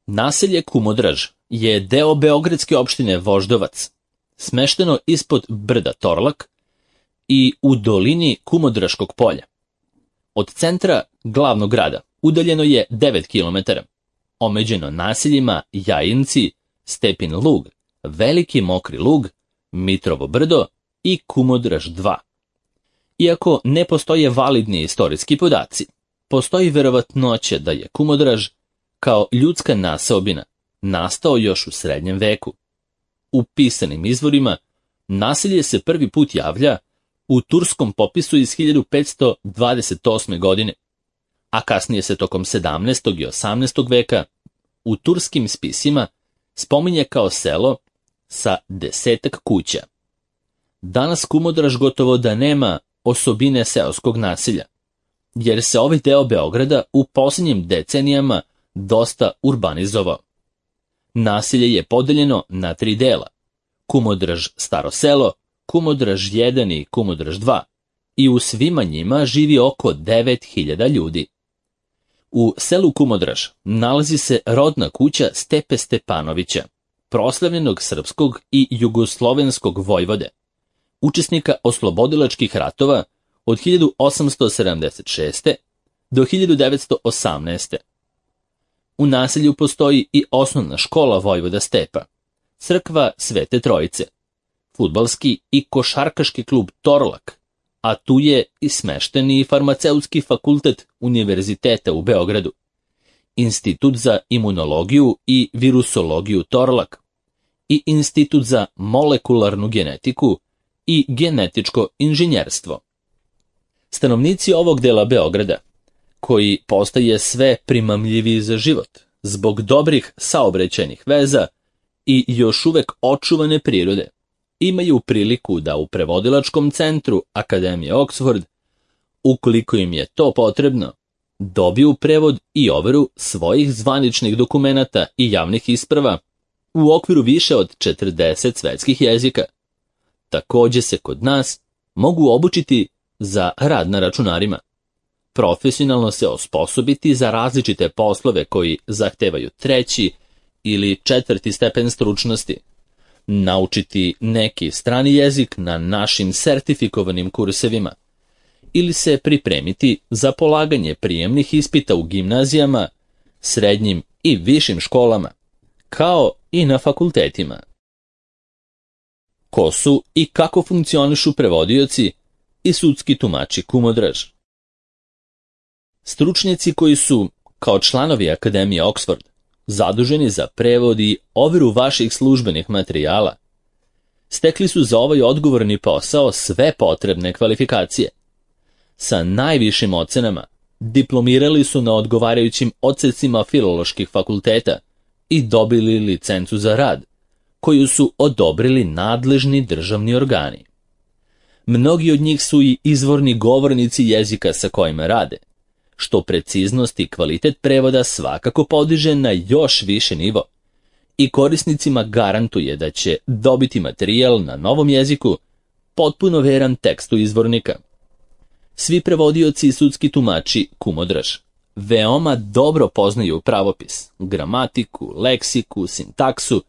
Naselje Kumodraž je deo beogradske opštine Voždovac, smešteno ispod brda Torlak i u dolini Kumodraškog polja. Od centra glavnog grada udaljeno je 9 km, omeđeno naseljima Jajinci, Stepin Lug, Veliki Mokri Lug, Mitrovo brdo i Kumodraž 2. Iako ne postoje validni istorijski podaci, postoji verovatnoća da je Kumodraž kao ljudska naseobina nastao još u srednjem veku. U pisanim izvorima naselje se prvi put javlja u turskom popisu iz 1528. godine, a kasnije se tokom 17. i 18. veka u turskim spisima spominje kao selo sa 10 kuća. Danas Kumodraž gotovo da nema osobine seoskog naselja, jer se ovaj deo Beograda u posljednjim decenijama dosta urbanizovao. Naselje je podeljeno na 3 dela: Kumodraž Staro selo, Kumodraž 1 i Kumodraž 2, i u svima njima živi oko 9000 ljudi. U selu Kumodraž nalazi se rodna kuća Stepe Stepanovića, proslavljenog srpskog i jugoslovenskog vojvode, učesnika oslobodilačkih ratova od 1876. do 1918. U naselju postoji i osnovna škola Vojvoda Stepa, crkva Svete Trojice, fudbalski i košarkaški klub Torlak, a tu je i smešteni farmaceutski fakultet Univerziteta u Beogradu, Institut za imunologiju i virusologiju Torlak i Institut za molekularnu genetiku i genetičko inženjerstvo. Stanovnici ovog dela Beograda, koji postaje sve primamljiviji za život zbog dobrih saobraćajnih veza i još uvek očuvane prirode, imaju priliku da u prevodilačkom centru Akademije Oxford, ukoliko im je to potrebno, dobiju prevod i overu svojih zvaničnih dokumenata i javnih isprava u okviru više od 40 svetskih jezika. Takođe se kod nas mogu obučiti za rad na računarima, profesionalno se osposobiti za različite poslove koji zahtevaju 3. ili 4. stepen stručnosti, naučiti neki strani jezik na našim sertifikovanim kursevima ili se pripremiti za polaganje prijemnih ispita u gimnazijama, srednjim i višim školama, kao i na fakultetima. Ko su i kako funkcionišu prevodioci i sudski tumači Kumodraž? Stručnjaci koji su, kao članovi Akademije Oxford, zaduženi za prevod i overu vaših službenih materijala, stekli su za ovaj odgovorni posao sve potrebne kvalifikacije. Sa najvišim ocenama diplomirali su na odgovarajućim odsecima filoloških fakulteta i dobili licencu za rad, koju su odobrili nadležni državni organi. Mnogi od njih su i izvorni govornici jezika sa kojima rade, što preciznost i kvalitet prevoda svakako podiže na još više nivo i korisnicima garantuje da će dobiti materijal na novom jeziku potpuno veran tekstu izvornika. Svi prevodioci i sudski tumači Kumodraž veoma dobro poznaju pravopis, gramatiku, leksiku, sintaksu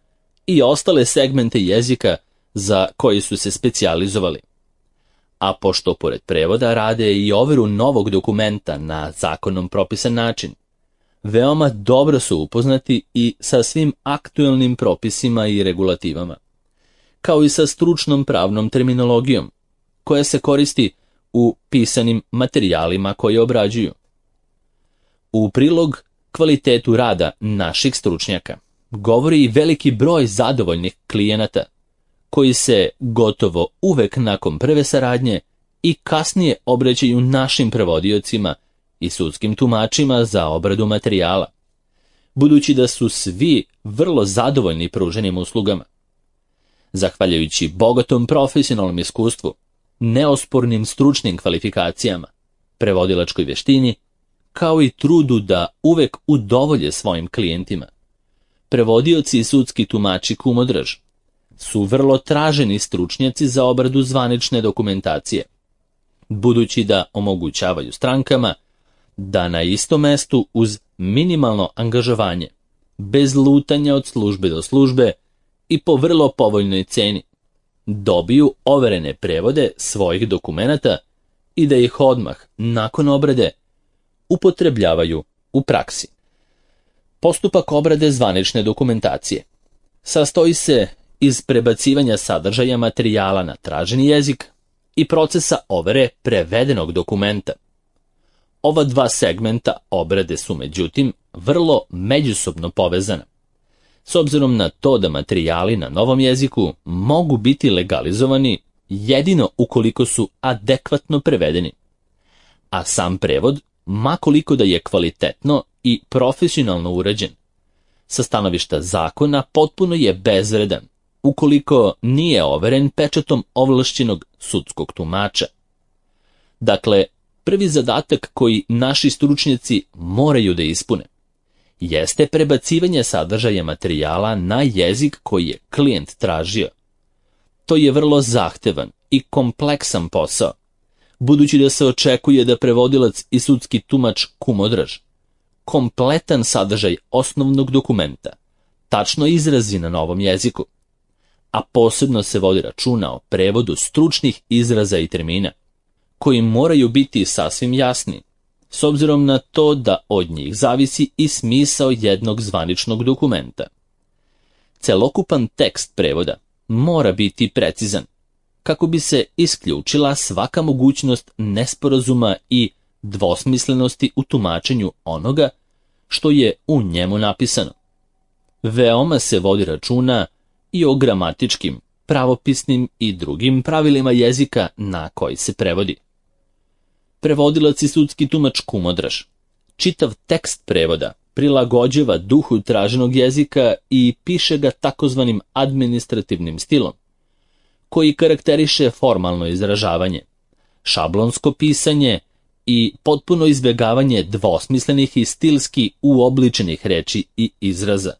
i ostale segmente jezika za koji su se specijalizovali. A pošto pored prevoda rade i overu novog dokumenta na zakonom propisan način, veoma dobro su upoznati i sa svim aktuelnim propisima i regulativama, kao i sa stručnom pravnom terminologijom, koja se koristi u pisanim materijalima koje obrađuju. U prilog kvalitetu rada naših stručnjaka govori i veliki broj zadovoljnih klijenata, koji se gotovo uvek nakon prve saradnje i kasnije obraćaju našim prevodiocima i sudskim tumačima za obradu materijala, budući da su svi vrlo zadovoljni pruženim uslugama. Zahvaljujući bogatom profesionalnom iskustvu, neospornim stručnim kvalifikacijama, prevodilačkoj vještini, kao i trudu da uvek udovolje svojim klijentima, prevodioci i sudski tumači Kumodraž su vrlo traženi stručnjaci za obradu zvanične dokumentacije, budući da omogućavaju strankama da na istom mestu uz minimalno angažovanje bez lutanja od službe do službe i po vrlo povoljnoj ceni, dobiju overene prevode svojih dokumenata i da ih odmah, nakon obrade, upotrebljavaju u praksi. Postupak obrade zvanične dokumentacije sastoji se iz prebacivanja sadržaja materijala na traženi jezik i procesa overe prevedenog dokumenta. Ova dva segmenta obrade su, međutim, vrlo međusobno povezana, s obzirom na to da materijali na novom jeziku mogu biti legalizovani jedino ukoliko su adekvatno prevedeni, a sam prevod, ma koliko da je kvalitetno i profesionalno urađen, sa stanovišta zakona potpuno je bezvredan ukoliko nije overen pečatom ovlašćenog sudskog tumača. Dakle, prvi zadatak koji naši stručnjaci moraju da ispune jeste prebacivanje sadržaja materijala na jezik koji je klijent tražio. To je vrlo zahtevan i kompleksan posao, budući da se očekuje da prevodilac i sudski tumač kumodraž kompletan sadržaj osnovnog dokumenta tačno izrazi na novom jeziku, a posebno se vodi računa o prevodu stručnih izraza i termina, koji moraju biti sasvim jasni, s obzirom na to da od njih zavisi i smisao jednog zvaničnog dokumenta. Celokupan tekst prevoda mora biti precizan, kako bi se isključila svaka mogućnost nesporazuma i dvosmislenosti u tumačenju onoga što je u njemu napisano. Veoma se vodi računa i o gramatičkim, pravopisnim i drugim pravilima jezika na koji se prevodi. Prevodilac i sudski tumač kumodraž čitav tekst prevoda prilagođava duhu traženog jezika i piše ga takozvanim administrativnim stilom, koji karakteriše formalno izražavanje, šablonsko pisanje i potpuno izbjegavanje dvosmislenih i stilski uobličenih reči i izraza,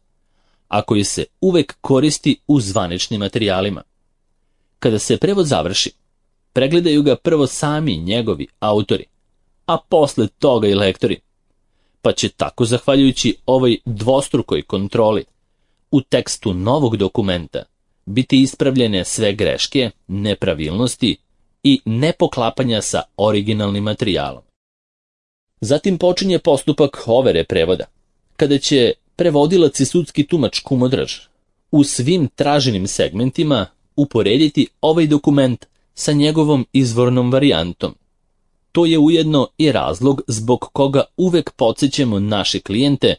a koji se uvek koristi u zvaničnim materijalima. Kada se prevod završi, pregledaju ga prvo sami njegovi autori, a posle toga i lektori, pa će tako, zahvaljujući ovoj dvostrukoj kontroli, u tekstu novog dokumenta biti ispravljene sve greške, nepravilnosti i nepoklapanja sa originalnim materijalom. Zatim počinje postupak overe prevoda, kada će prevodilac i sudski tumač kumodraž u svim traženim segmentima uporediti ovaj dokument sa njegovom izvornom varijantom. To je ujedno i razlog zbog koga uvek podsjećamo naše klijente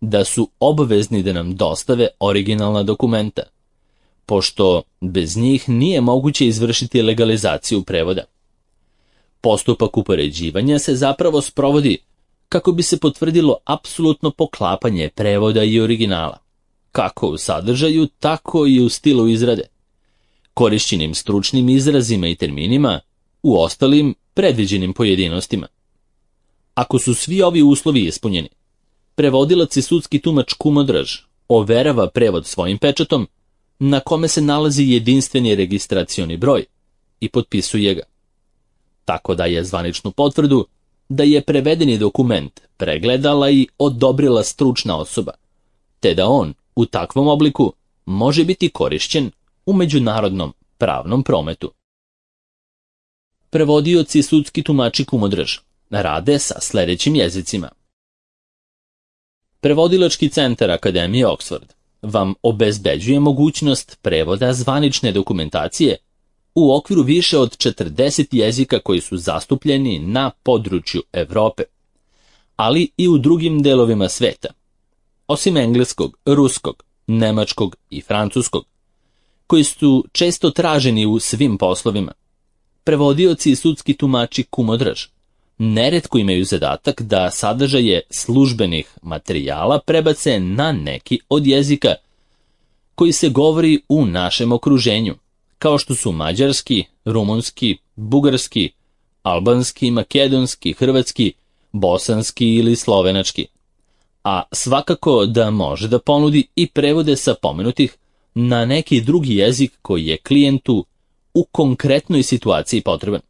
da su obavezni da nam dostave originalna dokumenta, pošto bez njih nije moguće izvršiti legalizaciju prevoda. Postupak upoređivanja se zapravo sprovodi kako bi se potvrdilo apsolutno poklapanje prevoda i originala, kako u sadržaju, tako i u stilu izrade, korišćenim stručnim izrazima i terminima, u ostalim predviđenim pojedinostima. Ako su svi ovi uslovi ispunjeni, prevodilac i sudski tumač kumodraž overava prevod svojim pečatom, na kome se nalazi jedinstveni registracioni broj, i potpisuje ga. Tako daje zvaničnu potvrdu da je prevedeni dokument pregledala i odobrila stručna osoba, te da on u takvom obliku može biti korišćen u međunarodnom pravnom prometu. Prevodioci i sudski tumači kumodraž rade sa sledećim jezicima. Prevodilački centar Akademije Oxford vam obezbeđuje mogućnost prevoda zvanične dokumentacije u okviru više od 40 jezika koji su zastupljeni na području Evrope, ali i u drugim delovima sveta, osim engleskog, ruskog, nemačkog i francuskog, koji su često traženi u svim poslovima. Prevodioci i sudski tumači kumodraž neretko imaju zadatak da sadržaje službenih materijala prebace na neki od jezika koji se govori u našem okruženju, kao što su mađarski, rumunski, bugarski, albanski, makedonski, hrvatski, bosanski ili slovenački, a svakako da može da ponudi i prevode sa pomenutih na neki drugi jezik koji je klijentu u konkretnoj situaciji potreban.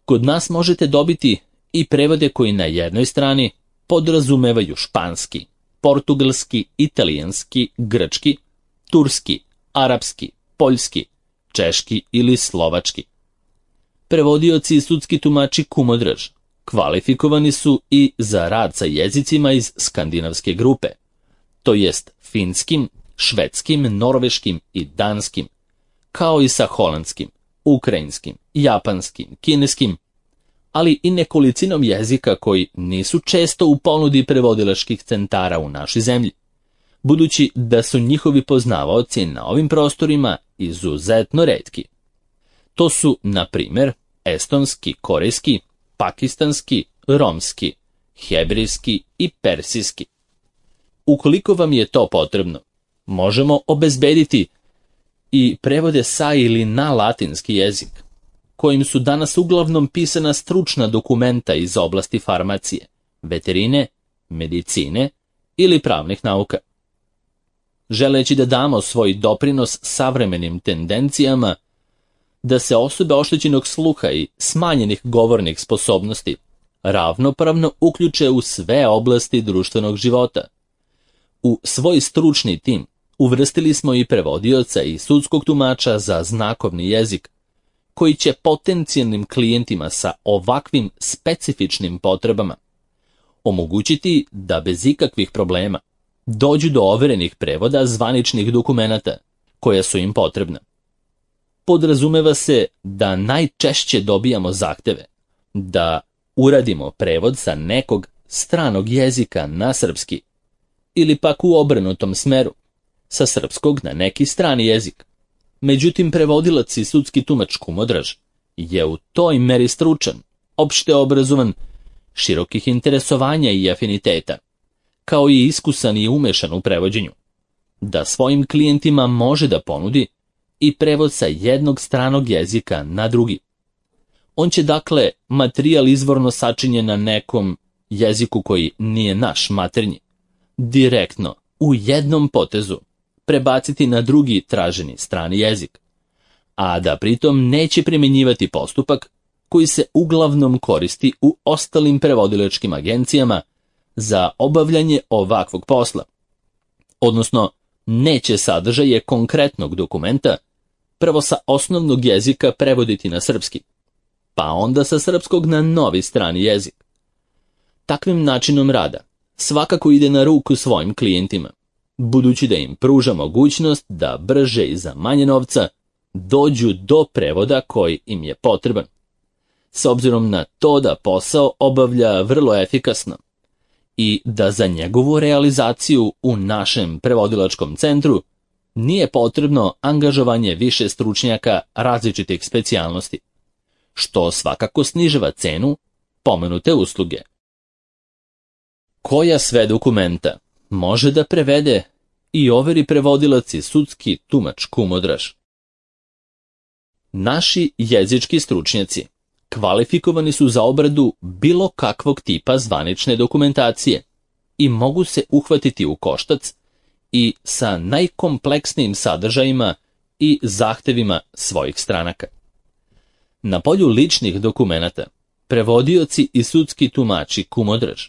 Kod nas možete dobiti i prevode koji na jednoj strani podrazumevaju španski, portugalski, italijanski, grčki, turski, arapski, poljski, češki ili slovački. Prevodioci i sudski tumači Kumodraž kvalifikovani su i za rad sa jezicima iz skandinavske grupe, to jest finskim, švedskim, norveškim i danskim, kao i sa holandskim, ukrajinskim, japanskim, kineskim, ali i nekolicinom jezika koji nisu često u ponudi prevodilačkih centara u našoj zemlji, budući da su njihovi poznavaoci na ovim prostorima izuzetno retki. To su, na primjer, estonski, korejski, pakistanski, romski, hebrejski i persijski. Ukoliko vam je to potrebno, možemo obezbediti i prevode sa ili na latinski jezik, kojim su danas uglavnom pisana stručna dokumenta iz oblasti farmacije, veterine, medicine ili pravnih nauka. Želeći da damo svoj doprinos savremenim tendencijama da se osobe oštećenog sluha i smanjenih govornih sposobnosti ravnopravno uključe u sve oblasti društvenog života. U svoj stručni tim uvrstili smo i prevodioca i sudskog tumača za znakovni jezik, koji će potencijalnim klijentima sa ovakvim specifičnim potrebama omogućiti da bez ikakvih problema dođu do overenih prevoda zvaničnih dokumenata koja su im potrebna. Podrazumeva se da najčešće dobijamo zahteve da uradimo prevod sa nekog stranog jezika na srpski ili pak u obrnutom smeru, sa srpskog na neki strani jezik. Međutim, prevodilac i sudski tumač Kumodraž je u toj meri stručan, opšte obrazovan, širokih interesovanja i afiniteta, kao i iskusan i umešan u prevođenju, da svojim klijentima može da ponudi i prevod sa jednog stranog jezika na drugi. On će dakle materijal izvorno sačinjen na nekom jeziku koji nije naš maternji, direktno, u jednom potezu, prebaciti na drugi traženi strani jezik, a da pritom neće primjenjivati postupak koji se uglavnom koristi u ostalim prevodilačkim agencijama za obavljanje ovakvog posla, odnosno neće sadržaje konkretnog dokumenta prvo sa osnovnog jezika prevoditi na srpski, pa onda sa srpskog na novi strani jezik. Takvim načinom rada svakako ide na ruku svojim klijentima, budući da im pruža mogućnost da brže i za manje novca dođu do prevoda koji im je potreban, s obzirom na to da posao obavlja vrlo efikasno i da za njegovu realizaciju u našem prevodilačkom centru nije potrebno angažovanje više stručnjaka različitih specijalnosti, što svakako snižava cenu pomenute usluge. Koja sve dokumenta može da prevede i overi prevodilac i sudski tumač Kumodraž? Naši jezički stručnjaci kvalifikovani su za obradu bilo kakvog tipa zvanične dokumentacije i mogu se uhvatiti u koštac i sa najkompleksnijim sadržajima i zahtevima svojih stranaka. Na polju ličnih dokumenata prevodioci i sudski tumači Kumodraž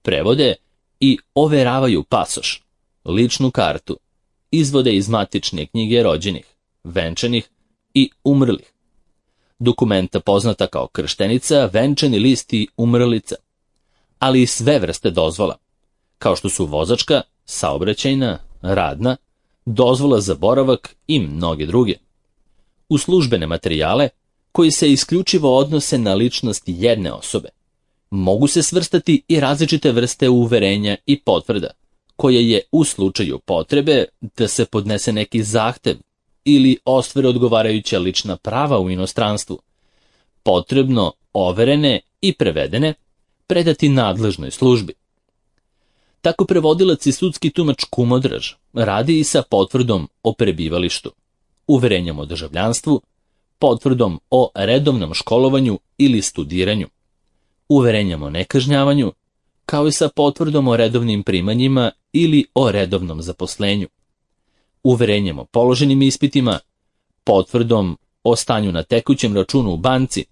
prevode i overavaju pasoš, ličnu kartu, izvode iz matične knjige rođenih, venčanih i umrlih, dokumenta poznata kao krštenica, venčani list i umrlica, ali i sve vrste dozvola, kao što su vozačka, saobraćajna, radna, dozvola za boravak i mnoge druge. U službene materijale, koji se isključivo odnose na ličnost jedne osobe, mogu se svrstati i različite vrste uverenja i potvrda, koje je u slučaju potrebe da se podnese neki zahtev ili ostvare odgovarajuća lična prava u inostranstvu, potrebno overene i prevedene predati nadležnoj službi. Tako prevodilac i sudski tumač Kumodraž radi i sa potvrdom o prebivalištu, uverenjem o državljanstvu, potvrdom o redovnom školovanju ili studiranju, uverenjem o nekažnjavanju, kao i sa potvrdom o redovnim primanjima ili o redovnom zaposlenju, uverenjem o položenim ispitima, potvrdom o stanju na tekućem računu u banci,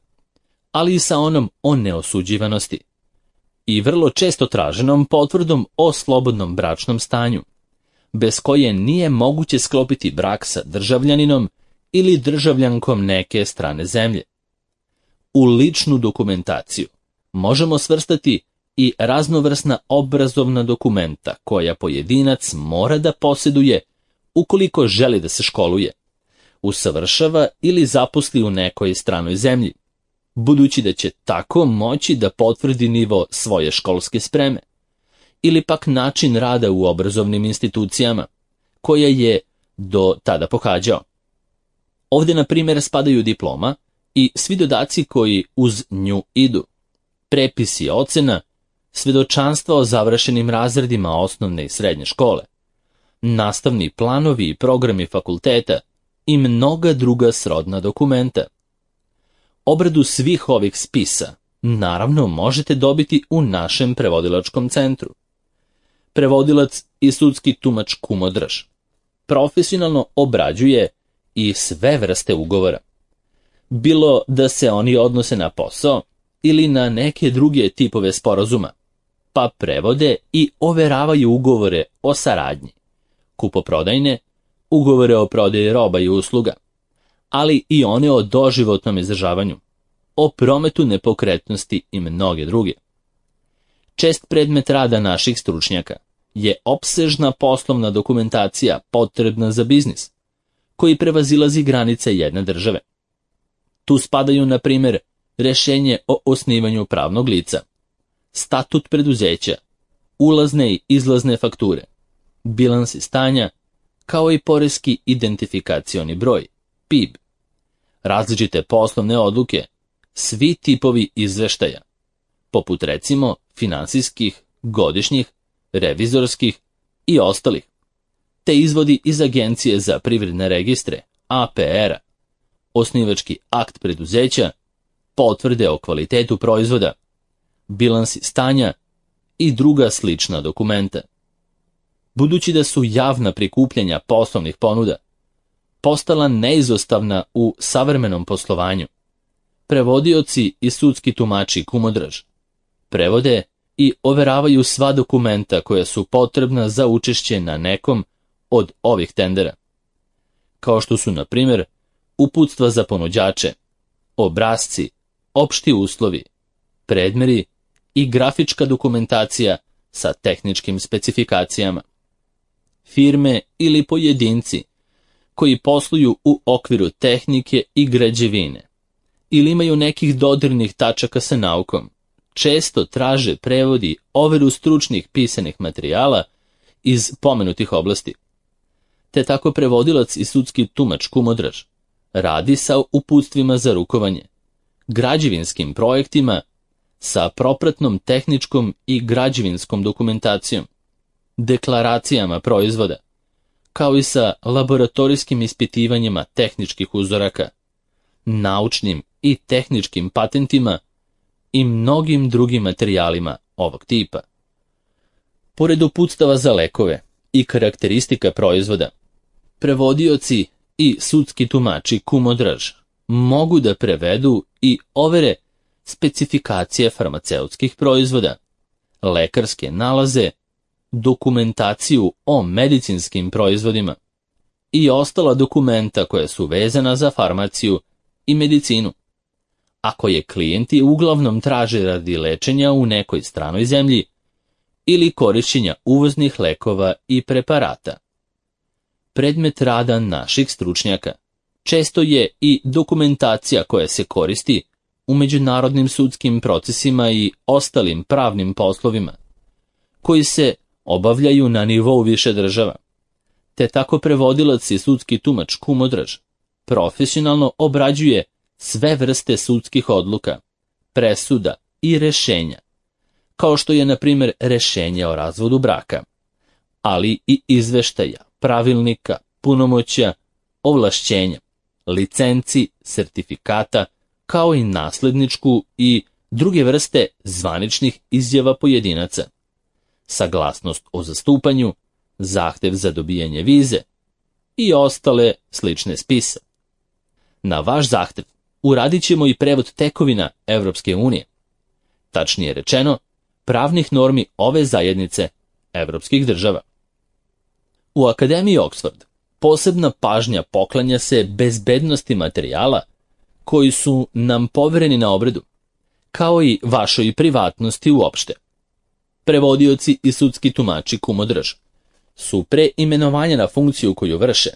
ali i sa onom o neosuđivanosti, i vrlo često traženom potvrdom o slobodnom bračnom stanju, bez koje nije moguće sklopiti brak sa državljaninom ili državljankom neke strane zemlje. U ličnu dokumentaciju možemo svrstati i raznovrsna obrazovna dokumenta koja pojedinac mora da posjeduje ukoliko želi da se školuje, usavršava ili zaposli u nekoj stranoj zemlji, budući da će tako moći da potvrdi nivo svoje školske spreme, ili pak način rada u obrazovnim institucijama, koje je do tada pohađao. Ovdje, na primjer, spadaju diploma i svi dodaci koji uz nju idu, prepisi ocena, svedočanstva o završenim razredima osnovne i srednje škole, nastavni planovi i programi fakulteta i mnoga druga srodna dokumenta. Obradu svih ovih spisa, naravno, možete dobiti u našem prevodilačkom centru. Prevodilac i sudski tumač Kumodraž profesionalno obrađuje i sve vrste ugovora, bilo da se oni odnose na posao ili na neke druge tipove sporazuma, pa prevode i overavaju ugovore o saradnji, kupoprodajne, ugovore o prodaji roba i usluga, ali i one o doživotnom izdržavanju, o prometu nepokretnosti i mnoge druge. Čest predmet rada naših stručnjaka je opsežna poslovna dokumentacija potrebna za biznis, koji prevazilazi granice jedne države. Tu spadaju, na primjer, rješenje o osnivanju pravnog lica, statut preduzeća, ulazne i izlazne fakture, bilansi stanja, kao i poreski identifikacioni broj, PIB, različite poslovne odluke, svi tipovi izveštaja, poput recimo finansijskih, godišnjih, revizorskih i ostalih, te izvodi iz Agencije za privredne registre, APR-a, osnivački akt preduzeća, potvrde o kvalitetu proizvoda, bilansi stanja i druga slična dokumenta. Budući da su javna prikupljanja poslovnih ponuda postala neizostavna u savremenom poslovanju, prevodioci i sudski tumači Kumodraž prevode i overavaju sva dokumenta koja su potrebna za učešće na nekom od ovih tendera, kao što su, na primjer, uputstva za ponuđače, obrasci, opšti uslovi, predmeri i grafička dokumentacija sa tehničkim specifikacijama. Firme ili pojedinci koji posluju u okviru tehnike i građevine ili imaju nekih dodirnih tačaka sa naukom, često traže prevod i overu stručnih pisanih materijala iz pomenutih oblasti. Te tako prevodilac i sudski tumač Kumodraž radi sa uputstvima za rukovanje, građevinskim projektima, sa propratnom tehničkom i građevinskom dokumentacijom, deklaracijama proizvoda, kao i sa laboratorijskim ispitivanjima tehničkih uzoraka, naučnim i tehničkim patentima i mnogim drugim materijalima ovog tipa. Pored uputstava za lekove i karakteristika proizvoda, prevodioci i sudski tumači Kumodraž mogu da prevedu i overe specifikacije farmaceutskih proizvoda, lekarske nalaze, dokumentaciju o medicinskim proizvodima i ostala dokumenta koja su vezana za farmaciju i medicinu, a koje klijenti uglavnom traže radi lečenja u nekoj stranoj zemlji ili korišćenja uvoznih lekova i preparata. Predmet rada naših stručnjaka često je i dokumentacija koja se koristi u međunarodnim sudskim procesima i ostalim pravnim poslovima, koji se obavljaju na nivou više država, te tako prevodilac i sudski tumač Kumodraž profesionalno obrađuje sve vrste sudskih odluka, presuda i rešenja, kao što je, na primjer, rešenje o razvodu braka, ali i izveštaja, pravilnika, punomoćja, ovlašćenja, licenci, sertifikata, kao i nasledničku i druge vrste zvaničnih izjava pojedinaca, saglasnost o zastupanju, zahtev za dobijanje vize i ostale slične spise. Na vaš zahtev uradit ćemo i prevod tekovina Evropske unije. Tačnije rečeno, pravnih normi ove zajednice evropskih država. U Akademiji Oxford posebna pažnja poklanja se bezbednosti materijala koji su nam povereni na obradu, kao i vašoj privatnosti uopšte. Prevodioci i sudski tumači kumodrž su pre imenovanja na funkciju koju vrše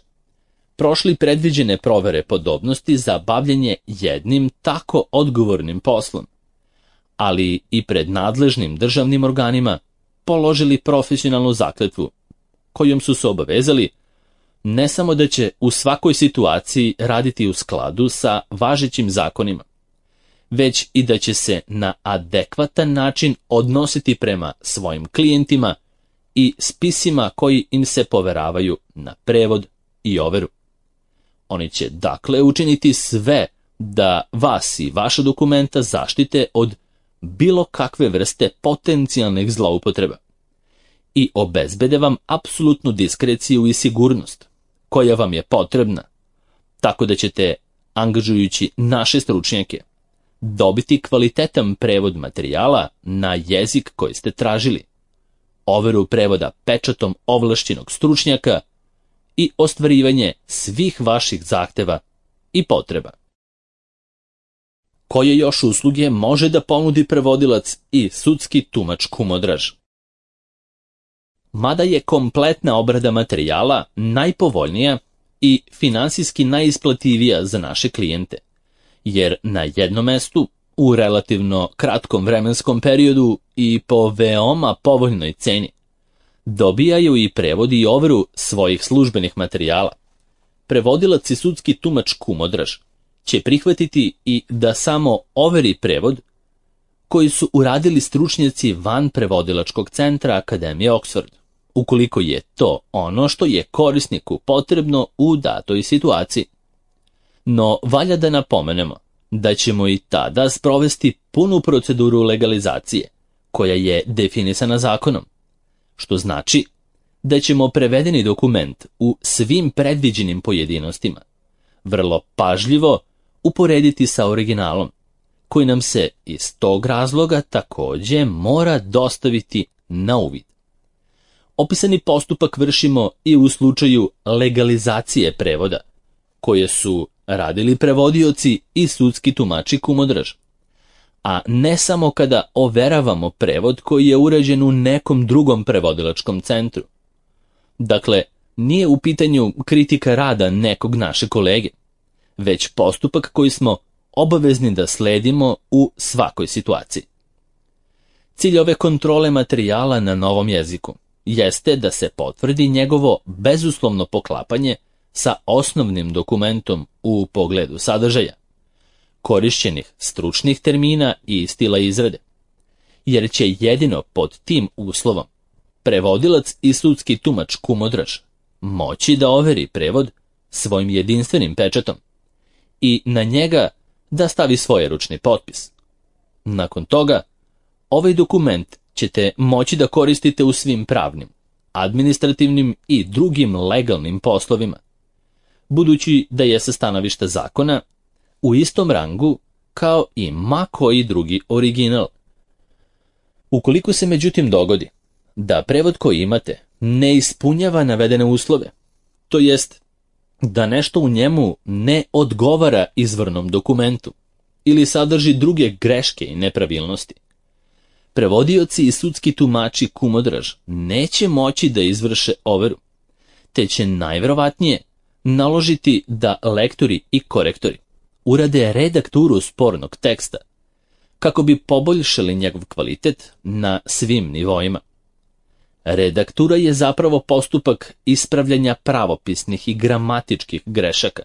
prošli predviđene provere podobnosti za bavljenje jednim tako odgovornim poslom, ali i pred nadležnim državnim organima položili profesionalnu zakletvu, kojom su se obavezali ne samo da će u svakoj situaciji raditi u skladu sa važećim zakonima, već i da će se na adekvatan način odnositi prema svojim klijentima i spisima koji im se poveravaju na prevod i overu. Oni će dakle učiniti sve da vas i vaša dokumenta zaštite od bilo kakve vrste potencijalnih zloupotreba i obezbede vam apsolutnu diskreciju i sigurnost koja vam je potrebna, tako da ćete, angažujući naše stručnjake, dobiti kvalitetan prevod materijala na jezik koji ste tražili, overu prevoda pečatom ovlašćenog stručnjaka i ostvarivanje svih vaših zahteva i potreba. Koje još usluge može da ponudi prevodilac i sudski tumač kumodraž? Mada je kompletna obrada materijala najpovoljnija i finansijski najisplativija za naše klijente, jer na jednom mestu, u relativno kratkom vremenskom periodu i po veoma povoljnoj ceni, dobijaju i prevod i overu svojih službenih materijala. Prevodilac i sudski tumač kumodraž će prihvatiti i da samo overi prevod koji su uradili stručnjaci van prevodilačkog centra Akademije Oxford, ukoliko je to ono što je korisniku potrebno u datoj situaciji. No, valja da napomenemo da ćemo i tada sprovesti punu proceduru legalizacije, koja je definisana zakonom, što znači da ćemo prevedeni dokument u svim predviđenim pojedinostima vrlo pažljivo uporediti sa originalom, koji nam se iz tog razloga takođe mora dostaviti na uvid. Opisani postupak vršimo i u slučaju legalizacije prevoda, koje su radili prevodioci i sudski tumači kumodraž, a ne samo kada overavamo prevod koji je urađen u nekom drugom prevodilačkom centru. Dakle, nije u pitanju kritika rada nekog naše kolege, već postupak koji smo obavezni da sledimo u svakoj situaciji. Cilj ove kontrole materijala na novom jeziku jeste da se potvrdi njegovo bezuslovno poklapanje sa osnovnim dokumentom u pogledu sadržaja, korišćenih stručnih termina i stila izrade, jer će jedino pod tim uslovom prevodilac i sudski tumač kumodraž moći da overi prevod svojim jedinstvenim pečatom i na njega da stavi svoj ručni potpis. Nakon toga, ovaj dokument ćete moći da koristite u svim pravnim, administrativnim i drugim legalnim poslovima, budući da je sa stanovišta zakona u istom rangu kao i ma koji drugi original. Ukoliko se međutim dogodi da prevod koji imate ne ispunjava navedene uslove, to jest da nešto u njemu ne odgovara izvornom dokumentu ili sadrži druge greške i nepravilnosti, prevodioci i sudski tumači kumodraž neće moći da izvrše overu, te će najverovatnije naložiti da lektori i korektori urade redakturu spornog teksta, kako bi poboljšali njegov kvalitet na svim nivoima. Redaktura je zapravo postupak ispravljanja pravopisnih i gramatičkih grešaka,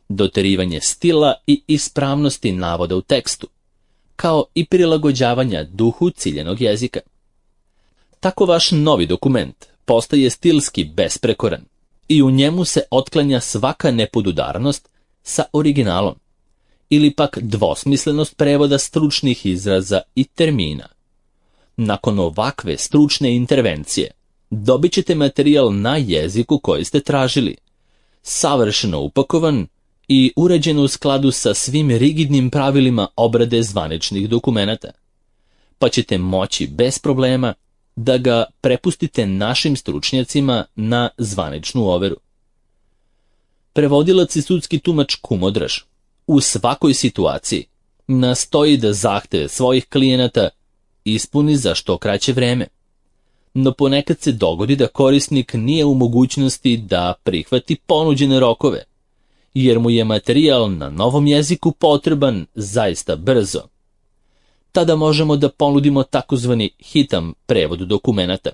doterivanje stila i ispravnosti navoda u tekstu, kao i prilagođavanja duhu ciljenog jezika. Tako vaš novi dokument postaje stilski besprekoran i u njemu se otklanja svaka nepodudarnost sa originalom ili pak dvosmislenost prevoda stručnih izraza i termina. Nakon ovakve stručne intervencije dobit ćete materijal na jeziku koji ste tražili, savršeno upakovan i uređen u skladu sa svim rigidnim pravilima obrade zvaničnih dokumenata. pa ćete moći bez problema da ga prepustite našim stručnjacima na zvaničnu overu. Prevodilac i sudski tumač Kumodraž u svakoj situaciji nastoji da zahteve svojih klijenata ispuni za što kraće vreme, no ponekad se dogodi da korisnik nije u mogućnosti da prihvati ponuđene rokove, jer mu je materijal na novom jeziku potreban zaista brzo. Tada možemo da ponudimo takozvani hitan prevod dokumenata,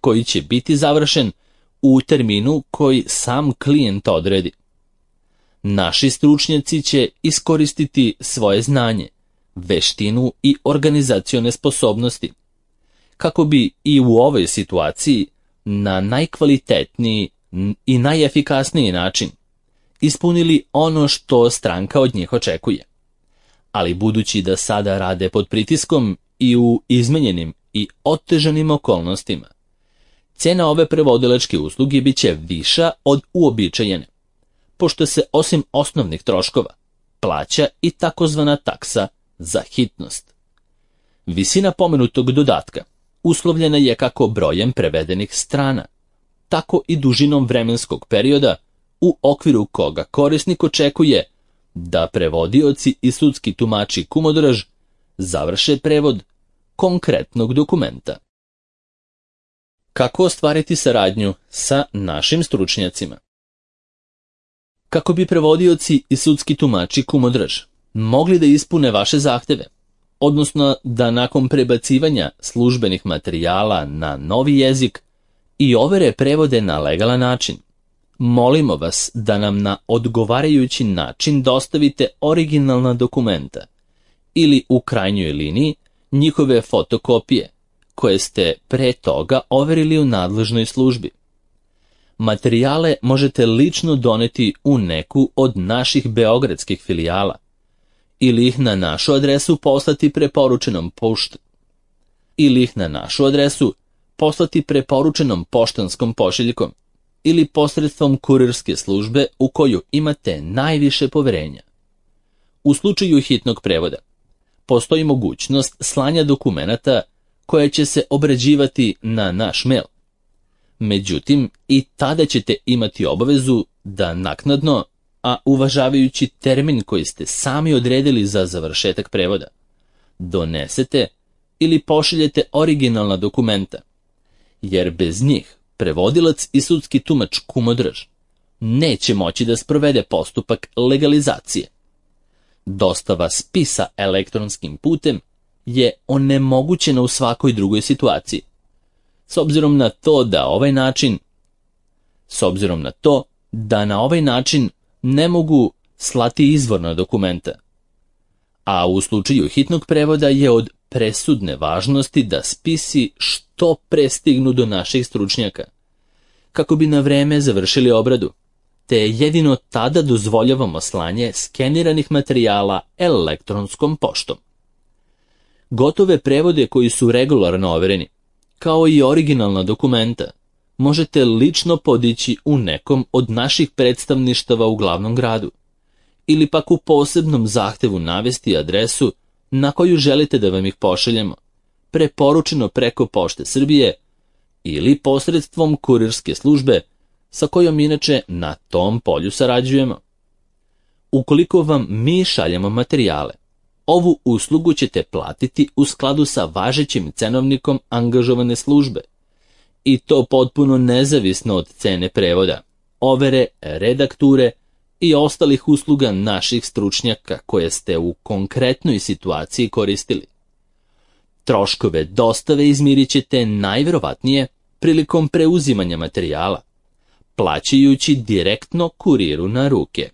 koji će biti završen u terminu koji sam klijent odredi. Naši stručnjaci će iskoristiti svoje znanje, veštinu i organizacione sposobnosti, kako bi i u ovoj situaciji na najkvalitetniji i najefikasniji način ispunili ono što stranka od njih očekuje. Ali budući da sada rade pod pritiskom i u izmenjenim i otežanim okolnostima, cena ove prevodilačke usluge bit će viša od uobičajene, pošto se osim osnovnih troškova plaća i takozvana taksa za hitnost. Visina pomenutog dodatka uslovljena je kako brojem prevedenih strana, tako i dužinom vremenskog perioda u okviru koga korisnik očekuje da prevodioci i sudski tumači Kumodraž završe prevod konkretnog dokumenta. Kako ostvariti saradnju sa našim stručnjacima? Kako bi prevodioci i sudski tumači Kumodraž mogli da ispune vaše zahteve, odnosno da nakon prebacivanja službenih materijala na novi jezik i overe prevode na legalan način, molimo vas da nam na odgovarajući način dostavite originalna dokumenta ili u krajnjoj liniji njihove fotokopije koje ste pre toga overili u nadležnoj službi. Materijale možete lično doneti u neku od naših beogradskih filijala ili ih na našu adresu poslati preporučenom poštanskom pošiljkom ili posredstvom kurirske službe u koju imate najviše poverenja. U slučaju hitnog prevoda postoji mogućnost slanja dokumenata koje će se obrađivati na naš mail. Međutim, i tada ćete imati obavezu da naknadno, a uvažavajući termin koji ste sami odredili za završetak prevoda, donesete ili pošaljete originalna dokumenta, jer bez njih prevodilac i sudski tumač Kumodraž neće moći da sprovede postupak legalizacije. Dostava spisa elektronskim putem je onemogućena u svakoj drugoj situaciji, s obzirom na to da na ovaj način ne mogu slati izvorna dokumenta, a u slučaju hitnog prevoda je od presudne važnosti da spisi što pre stignu do naših stručnjaka, kako bi na vreme završili obradu, te jedino tada dozvoljavamo slanje skeniranih materijala elektronskom poštom. Gotove prevode koji su regularno overeni, kao i originalna dokumenta, možete lično podići u nekom od naših predstavništava u glavnom gradu, ili pak u posebnom zahtevu navesti adresu na koju želite da vam ih pošaljemo, preporučeno preko Pošte Srbije ili posredstvom kurirske službe sa kojom inače na tom polju sarađujemo. Ukoliko vam mi šaljemo materijale, ovu uslugu ćete platiti u skladu sa važećim cenovnikom angažovane službe, i to potpuno nezavisno od cene prevoda, overe, redakture i ostalih usluga naših stručnjaka koje ste u konkretnoj situaciji koristili. Troškove dostave izmirit ćete najverovatnije prilikom preuzimanja materijala, plaćajući direktno kuriru na ruke.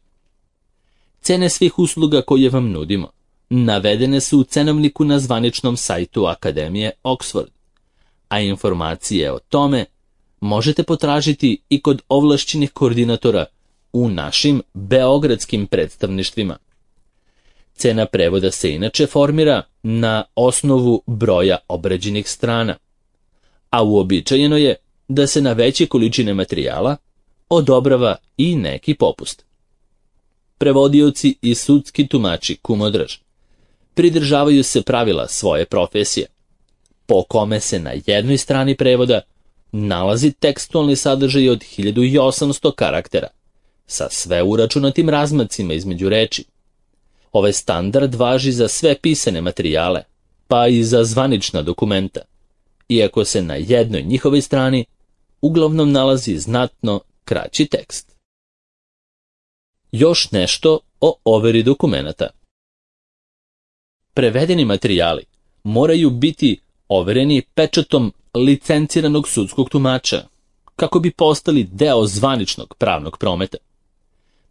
Cene svih usluga koje vam nudimo navedene su u cenovniku na zvaničnom sajtu Akademije Oxford, a informacije o tome možete potražiti i kod ovlašćenih koordinatora u našim beogradskim predstavništvima. Cena prevoda se inače formira na osnovu broja obrađenih strana, a uobičajeno je da se na veće količine materijala odobrava i neki popust. Prevodioci i sudski tumači Kumodraž pridržavaju se pravila svoje profesije, po kome se na jednoj strani prevoda nalazi tekstualni sadržaj od 1800 karaktera, sa sve uračunatim razmacima između reči. Ovaj standard važi za sve pisane materijale, pa i za zvanična dokumenta, iako se na jednoj njihovoj strani uglavnom nalazi znatno kraći tekst. Još nešto o overi dokumenata. Prevedeni materijali moraju biti overeni pečatom licenciranog sudskog tumača, kako bi postali deo zvaničnog pravnog prometa.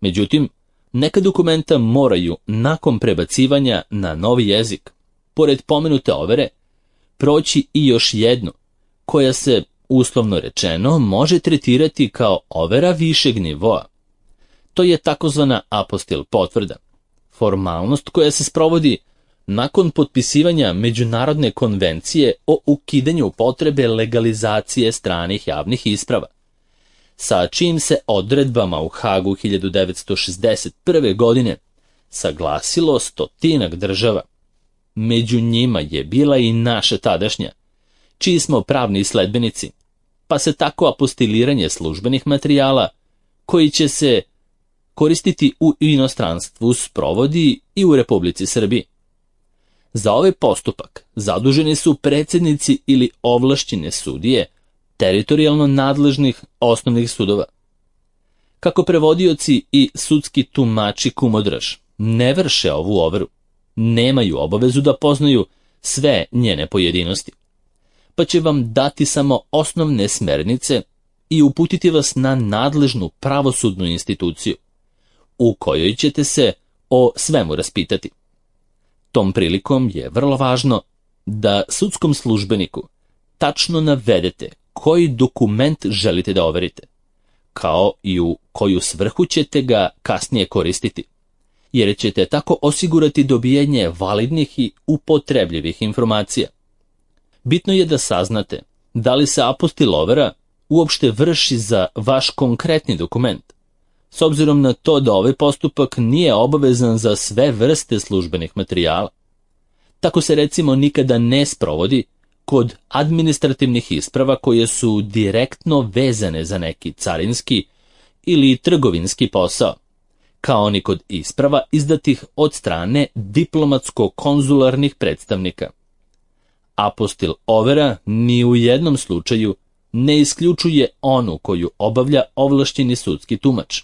Međutim, neka dokumenta moraju, nakon prebacivanja na novi jezik, pored pomenute overe, proći i još jednu, koja se, uslovno rečeno, može tretirati kao overa višeg nivoa. To je takozvana apostil potvrda, formalnost koja se sprovodi nakon potpisivanja Međunarodne konvencije o ukidanju potrebe legalizacije stranih javnih isprava, sa čijim se odredbama u Hagu 1961. godine saglasilo 100 država. Među njima je bila i naša tadašnja, čiji smo pravni sledbenici, pa se tako apostiliranje službenih materijala, koji će se koristiti u inostranstvu, sprovodi i u Republici Srbiji. Za ovaj postupak zaduženi su predsjednici ili ovlašćene sudije teritorijalno nadležnih osnovnih sudova. Kako prevodioci i sudski tumači kumodraž ne vrše ovu overu, nemaju obavezu da poznaju sve njene pojedinosti, pa će vam dati samo osnovne smernice i uputiti vas na nadležnu pravosudnu instituciju, u kojoj ćete se o svemu raspitati. Tom prilikom je vrlo važno da sudskom službeniku tačno navedete koji dokument želite da overite, kao i u koju svrhu ćete ga kasnije koristiti, jer ćete tako osigurati dobijanje validnih i upotrebljivih informacija. Bitno je da saznate da li se apostil overa uopšte vrši za vaš konkretni dokument, s obzirom na to da ovaj postupak nije obavezan za sve vrste službenih materijala. Tako se recimo nikada ne sprovodi kod administrativnih isprava koje su direktno vezane za neki carinski ili trgovinski posao, kao ni kod isprava izdatih od strane diplomatsko-konzularnih predstavnika. Apostil overa ni u jednom slučaju ne isključuje onu koju obavlja ovlašćeni sudski tumač,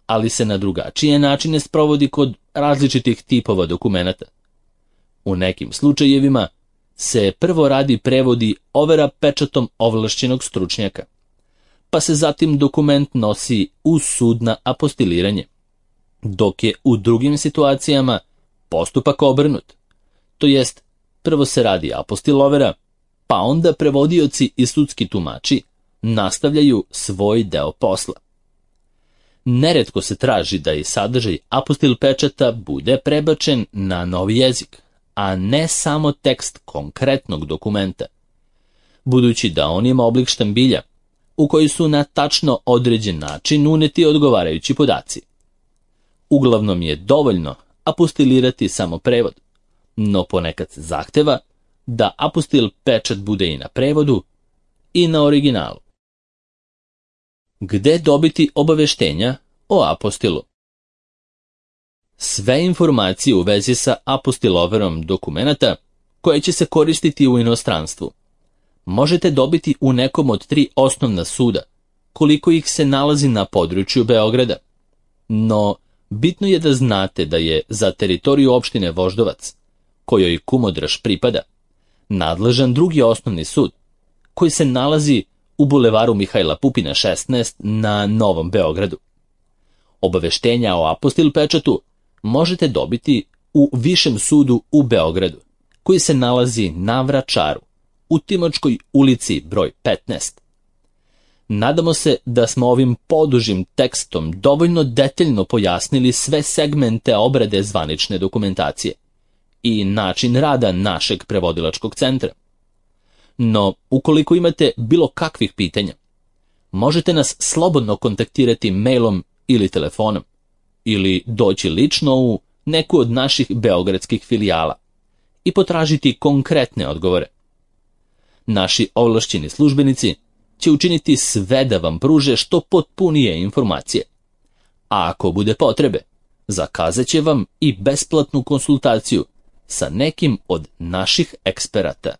ali se na drugačije načine sprovodi kod različitih tipova dokumenata. U nekim slučajevima se prvo radi prevodi overa pečatom ovlašćenog stručnjaka, pa se zatim dokument nosi u sud na apostiliranje, dok je u drugim situacijama postupak obrnut, to jest prvo se radi apostil overa, pa onda prevodioci i sudski tumači nastavljaju svoj deo posla. Neretko se traži da i sadržaj apostil pečata bude prebačen na novi jezik, a ne samo tekst konkretnog dokumenta, budući da on ima oblik štambilja, u koji su na tačno određen način uneti odgovarajući podaci. Uglavnom je dovoljno apostilirati samo prevod, no ponekad se zahteva da apostil pečat bude i na prevodu i na originalu. Gde dobiti obaveštenja o apostilu? Sve informacije u vezi sa apostil overom dokumenata koje će se koristiti u inostranstvu možete dobiti u nekom od 3 osnovna suda, koliko ih se nalazi na području Beograda. No, bitno je da znate da je za teritoriju opštine Voždovac, kojoj Kumodraž pripada, nadležan drugi osnovni sud, koji se nalazi u bulevaru Mihajla Pupina 16 na Novom Beogradu. Obaveštenja o apostil pečatu možete dobiti u Višem sudu u Beogradu, koji se nalazi na Vračaru, u Timočkoj ulici broj 15. Nadamo se da smo ovim podužim tekstom dovoljno detaljno pojasnili sve segmente obrade zvanične dokumentacije i način rada našeg prevodilačkog centra. No, ukoliko imate bilo kakvih pitanja, možete nas slobodno kontaktirati mailom ili telefonom, ili doći lično u neku od naših beogradskih filijala i potražiti konkretne odgovore. Naši ovlašćeni službenici će učiniti sve da vam pruže što potpunije informacije, a ako bude potrebe, zakazat će vam i besplatnu konsultaciju sa nekim od naših eksperata.